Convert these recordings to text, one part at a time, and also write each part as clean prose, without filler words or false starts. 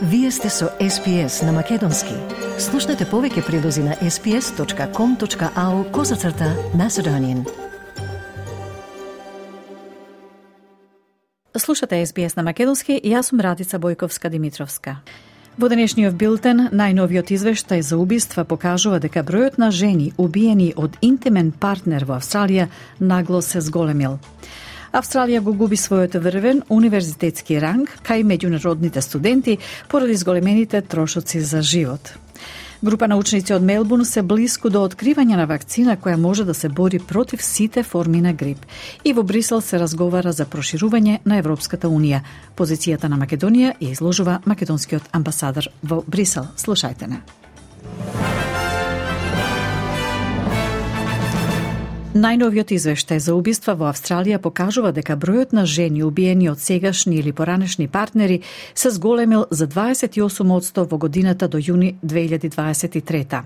Вие сте со SPS на Македонски. Слушнете повеќе прилози на sps.com.au/Macedonian. Слушате SBS на Македонски и јас сум Радица Бојковска-Димитровска. Во денешниот билтен, најновиот извештај за убиства покажува дека бројот на жени убиени од интимен партнер во Австралија нагло се зголемил. Австралија го губи својот врвен универзитетски ранг кај меѓународните студенти поради зголемените трошоци за живот. Група научници од Мелбурн се блиску до откривање на вакцина која може да се бори против сите форми на грип. И во Брисел се разговара за проширување на Европската унија. Позицијата на Македонија ја изложува македонскиот амбасадор во Брисел. Слушајте не. Најновиот извештај за убиства во Австралија покажува дека бројот на жени убиени од сегашни или поранешни партнери се зголемил за 28% во годината до јуни 2023.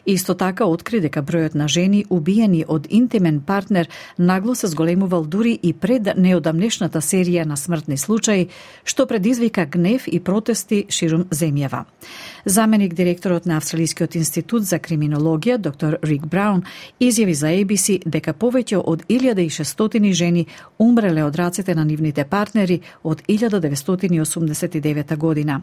Исто така откри дека бројот на жени убиени од интимен партнер нагло се зголемувал дури и пред неодамнешната серија на смртни случаи, што предизвика гнев и протести ширум земјава. Заменик директорот на Австралискиот институт за криминологија, доктор Рик Браун, изјави за ABC дека повеќе од 1600 жени умреле од рацете на нивните партнери од 1989 година.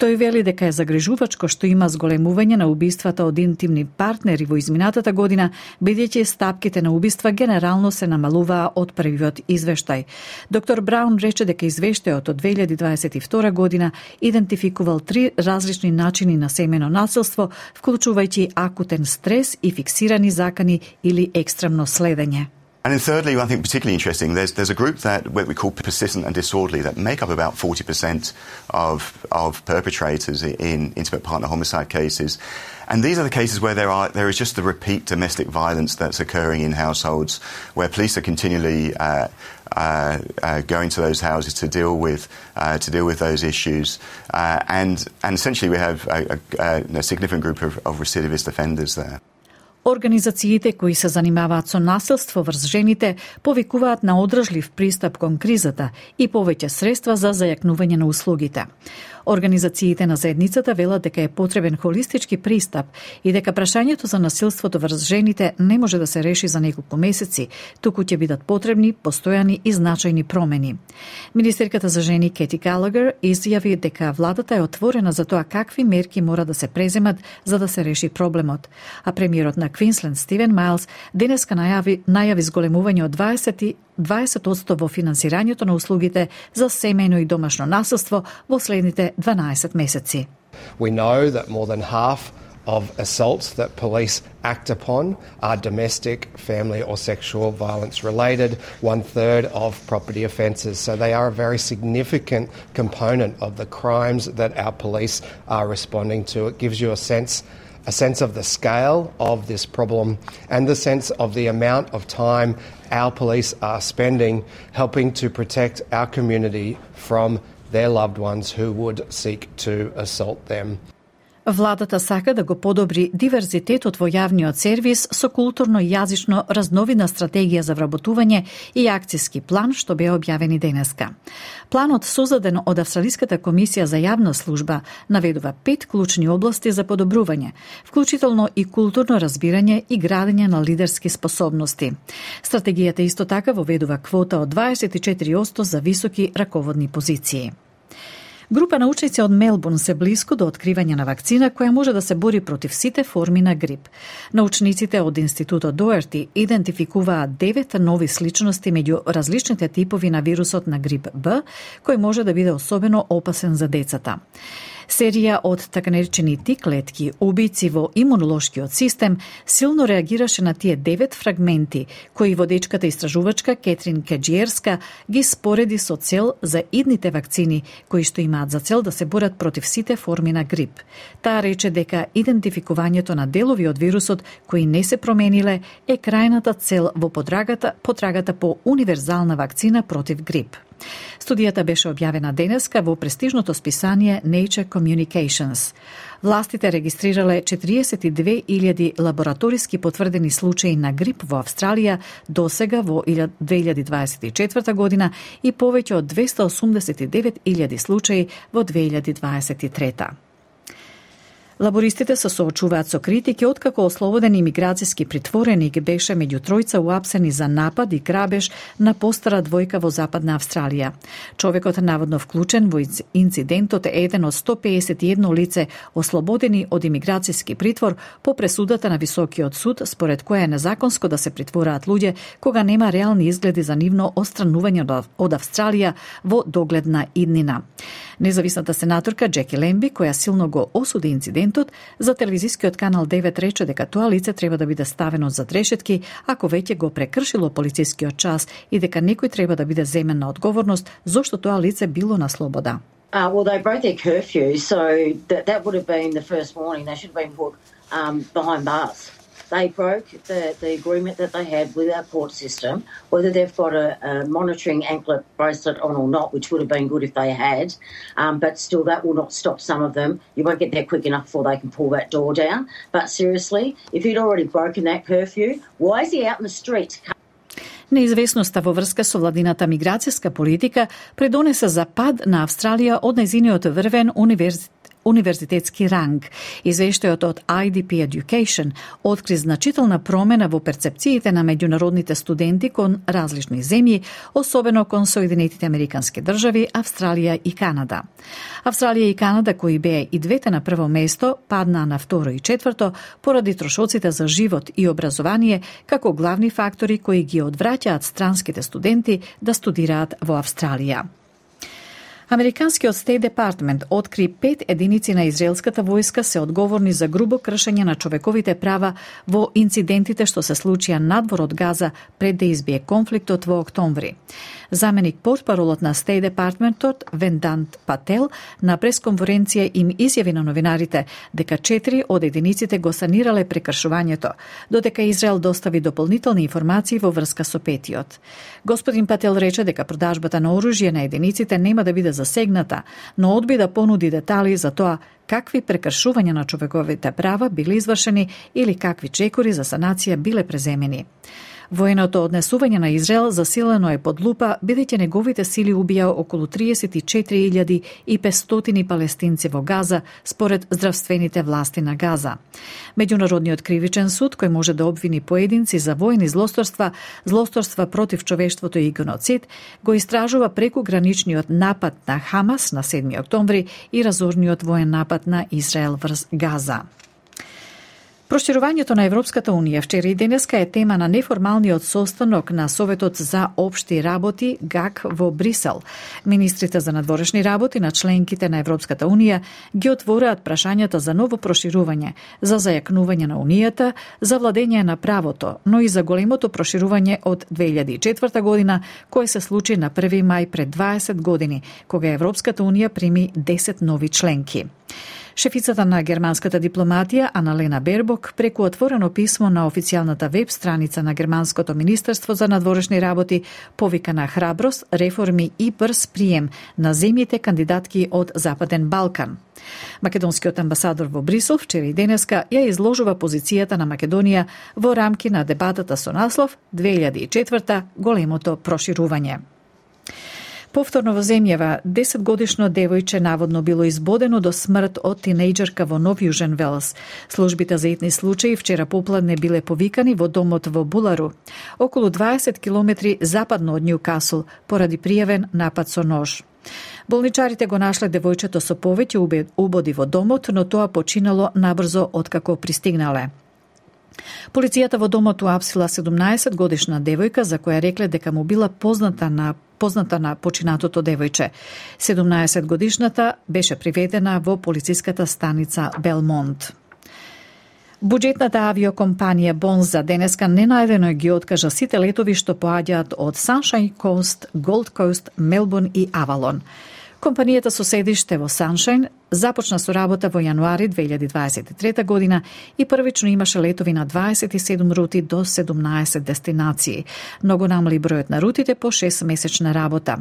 Тој вели дека е загрижувачко што има зголемување на убиствата од интимни партнери во изминатата година, бидејќи стапките на убиства генерално се намалуваа од првиот извештај. Доктор Браун рече дека извештајот од 2022 година идентификувал 3 различни начини на семено насилство, вклучувајќи акутен стрес и фиксирани закани или екстремно следење. And then thirdly, I think particularly interesting, there's a group that what we call persistent and disorderly that make up about 40% of perpetrators in intimate partner homicide cases. And these are the cases where there is just the repeat domestic violence that's occurring in households, where police are continually going to those houses to deal with those issues, and essentially we have a significant group of recidivist offenders there. Организациите кои се занимаваат со насилство врз жените повикуваат на одржлив пристап кон кризата и повеќе средства за зајакнување на услугите. Организациите на заедницата велат дека е потребен холистички пристап и дека прашањето за насилството врз жените не може да се реши за неколку месеци, туку ќе бидат потребни постојани и значајни промени. Министерката за жени Кети Галагер изјави дека владата е отворена за тоа какви мерки мора да се преземат за да се реши проблемот, а премиерот на Квинсленд Стивен Мајлс денеска најави зголемување од 20% во финансирањето на услугите за семејно и домашно насилство во следните 12 месеци. We know that more than half of assaults that police act upon are domestic, family or sexual violence related, 1/3 of property offences. So they are a very significant component of the crimes that our police are responding to. It gives you a sense of the scale of this problem and the sense of the amount of time our police are spending helping to protect our community from their loved ones who would seek to assault them. Владата сака да го подобри диверзитетот во јавниот сервис со културно и јазично разновидна стратегија за вработување и акцијски план што беа објавени денеска. Планот создаден од Австралиската комисија за јавна служба наведува 5 клучни области за подобрување, вклучително и културно разбирање и градење на лидерски способности. Стратегијата исто така воведува квота од 24% за високи раководни позиции. Група научници од Мелбурн се блиску до откривање на вакцина која може да се бори против сите форми на грип. Научниците од Институтот Доерти идентификуваат 9 нови сличности меѓу различните типови на вирусот на грип Б, кој може да биде особено опасен за децата. Серија од така наречени Т-клетки, убици во имунолошкиот систем, силно реагираше на тие 9 фрагменти, кои водечката истражувачка Кетрин Кеџиерска ги спореди со цел за идните вакцини, кои што имаат за цел да се борат против сите форми на грип. Таа рече дека идентификувањето на делови од вирусот кои не се промениле е крајната цел во потрагата по универзална вакцина против грип. Студијата беше објавена денеска во престижното списание Nature Communications. Властите регистрирале 42.000 лабораториски потврдени случаи на грип во Австралија досега во 2024 година и повеќе од 289.000 случаи во 2023. Лабористите се соочуваат со критики откако ослободен имиграцијски притвореник беше меѓу тројца уапсени за напад и грабеж на постара двојка во Западна Австралија. Човекот наводно вклучен во инцидентот е еден од 151 лице ослободени од имиграцијски притвор по пресудата на Високиот суд, според која е незаконско да се притвораат луѓе кога нема реални изгледи за нивно отстранување од Австралија во догледна иднина. Независната сенаторка Джеки Лемби, која силно го осуди инцидентот, за телевизискиот канал 9 рече дека тоа лице треба да биде ставено зад решетки ако веќе го прекршило полицискиот час и дека некој треба да биде земен на одговорност зошто тоа лице било на слобода. Well, they broke their curfew, so that would have been the first warning. They should have been put behind bars. They broke the agreement that they had with our court system, whether they've got a monitoring anklet bracelet on or not, which would have been good if they had, but still that will not stop some of them. You won't get there quick enough before they can pull that door down. But seriously, if he'd already broken that curfew, why is he out in the streets? Неизвестноста во врска со владината миграцијска политика придонесе за пад на Австралија од нејзиниот врвен универзитетски ранг. Извештајот од IDP Education откри значителна промена во перцепциите на меѓународните студенти кон различни земји, особено кон Соединетите Американски држави, Австралија и Канада. Австралија и Канада, кои беа и двете на прво место, паднаа на второ и четврто поради трошоците за живот и образование како главни фактори кои ги одвраќаат странските студенти да студираат во Австралија. Американскиот State Department откри 5 единици на израелската војска се одговорни за грубо кршење на човековите права во инцидентите што се случија надвор од Газа пред да избие конфликтот во октомври. Заменик портпаролот на State Departmentот Вендант Пател на пресконференција им изјави на новинарите дека 4 од единиците го санирале прекршувањето, додека Израел достави дополнителни информации во врска со петиот. Господин Пател рече дека продажбата на оружје на единиците нема да биде засегната, но одби да понуди детали за тоа какви прекршувања на човековите права биле извршени или какви чекори за санација биле преземени. Военото однесување на Израел засилено е под лупа, бидејќи неговите сили убија околу 34.500 палестинци во Газа, според здравствените власти на Газа. Меѓународниот кривичен суд, кој може да обвини поединци за воени злосторства против човештвото и геноцид, го истражува преку граничниот напад на Хамас на 7 октомври и разорниот воен напад на Израел врз Газа. Проширувањето на Европската Унија вчера и денеска е тема на неформалниот состанок на Советот за општи работи ГАК во Брисел. Министрите за надворешни работи на членките на Европската Унија ги отвораат прашањата за ново проширување, за зајакнување на Унијата, за владење на правото, но и за големото проширување од 2004 година, кој се случи на 1 мај пред 20 години, кога Европската Унија прими 10 нови членки. Шефицата на германската дипломатија Аналена Бербок преку отворено писмо на официјалната веб страница на Германското министерство за надворешни работи повика на храброст, реформи и брз прием на земјите кандидатки од Западен Балкан. Македонскиот амбасадор во Брисел вчера и денеска ја изложува позицијата на Македонија во рамки на дебатата со наслов 2004 големото проширување. Повторно во земјава, 10-годишно девојче наводно било избодено до смрт од тинејџерка во Нов Јужен Велс. Службите за итни случаи вчера попладне биле повикани во домот во Булару, околу 20 километри западно од Њукасл, поради пријавен напад со нож. Болничарите го нашле девојчето со повеќе убоди во домот, но тоа починало набрзо откако пристигнале. Полицијата во домот уапсила 17-годишна девојка за која рекле дека му била позната на починатото девојче. 17-годишната беше приведена во полициската станица Белмонт. Буџетната авиокомпанија Бонза денеска ненајдено ги откажа сите летови што поаѓаат од Sunshine Coast, Gold Coast, Мелбурн и Авалон. Компанијата со седиште во Саншајн започна со работа во јануари 2023 година и првично имаше летови на 27 рути до 17 дестинации. Многу намали бројот на рутите по 6-месечна работа.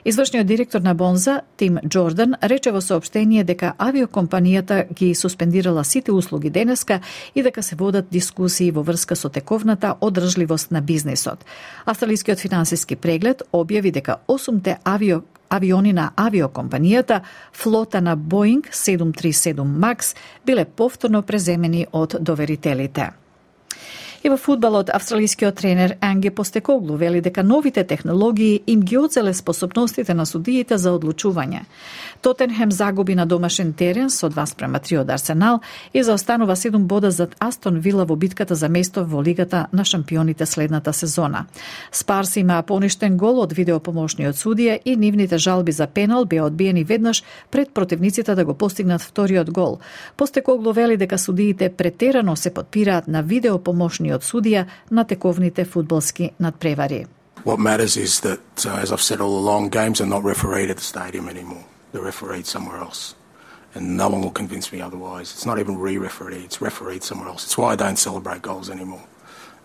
Извршниот директор на Бонза, Тим Джордан, рече во соопштение дека авиокомпанијата ги суспендирала сите услуги денеска и дека се водат дискусии во врска со тековната одржливост на бизнисот. Австралискиот финансиски преглед објави дека 8 авиони на авиокомпанијата, флота на Боинг 737 Макс, биле повторно преземени од доверителите. И во фудбалот, австралискиот тренер Анге Постекоглу вели дека новите технологии им ги одзеле способностите на судиите за одлучување. Тотенхем загуби на домашен терен со 2:3 од Арсенал и заостанува 7 бода зад Астон Вила во битката за место во Лигата на шампионите следната сезона. Спарс има поништен гол од видеопомошниот судија и нивните жалби за пенал беа одбиени веднаш пред противниците да го постигнат вториот гол. Постекоглу вели дека судиите претерано се подпираат на видеопомошниот судија на тековните фудбалски надпревари. What matters is that, as I've said all along, games are not refereed at the stadium anymore. They're refereed somewhere else. And no one will convince me otherwise. It's not even re-refereed, it's refereed somewhere else. It's why I don't celebrate goals anymore.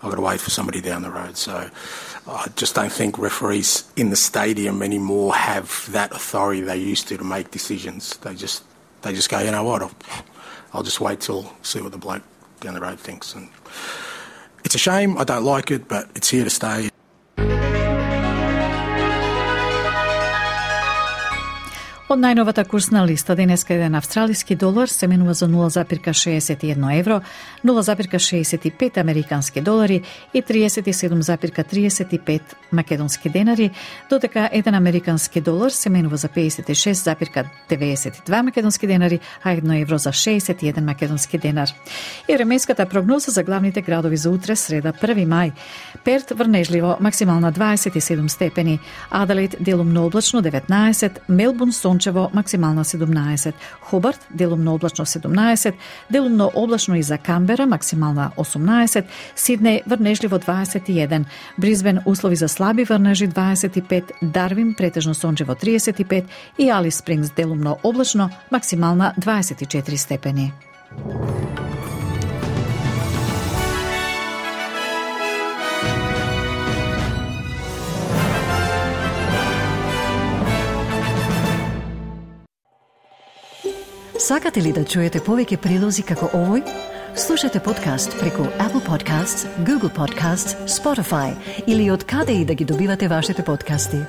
I've got to wait for somebody down the road. So I just don't think referees in the stadium anymore have that authority they used to make decisions. They just go, you know what, I'll just wait till see what the bloke down the road thinks. And it's a shame, I don't like it, but it's here to stay. Од најновата курсна листа денеска еден австралиски долар се менува за 0,61 евро, 0,65 американски долари и 37,35 македонски денари, додека еден американски долар се менува за 56,92 македонски денари, а 1 евро за 61 македонски денар. И временската прогноза за главните градови за утре, среда 1 мај. Перт врнежливо, максимална 27 степени, Аделаид делумно облачно 19, Мелбурн сончево, максимална 17, Хобарт делумно облачно 17, делумно облачно и за Камбера, максимална 18, Сиднеј врнежливо 21, Бризбен услови за слаби врнежи 25, Дарвин претежно сончево 35 и Алис Спрингс делумно облачно, максимална 24 степени. Сакате ли да чуете повеќе прилози како овој? Слушате подкаст преку Apple Podcasts, Google Podcasts, Spotify или од каде и да ги добивате вашите подкасти.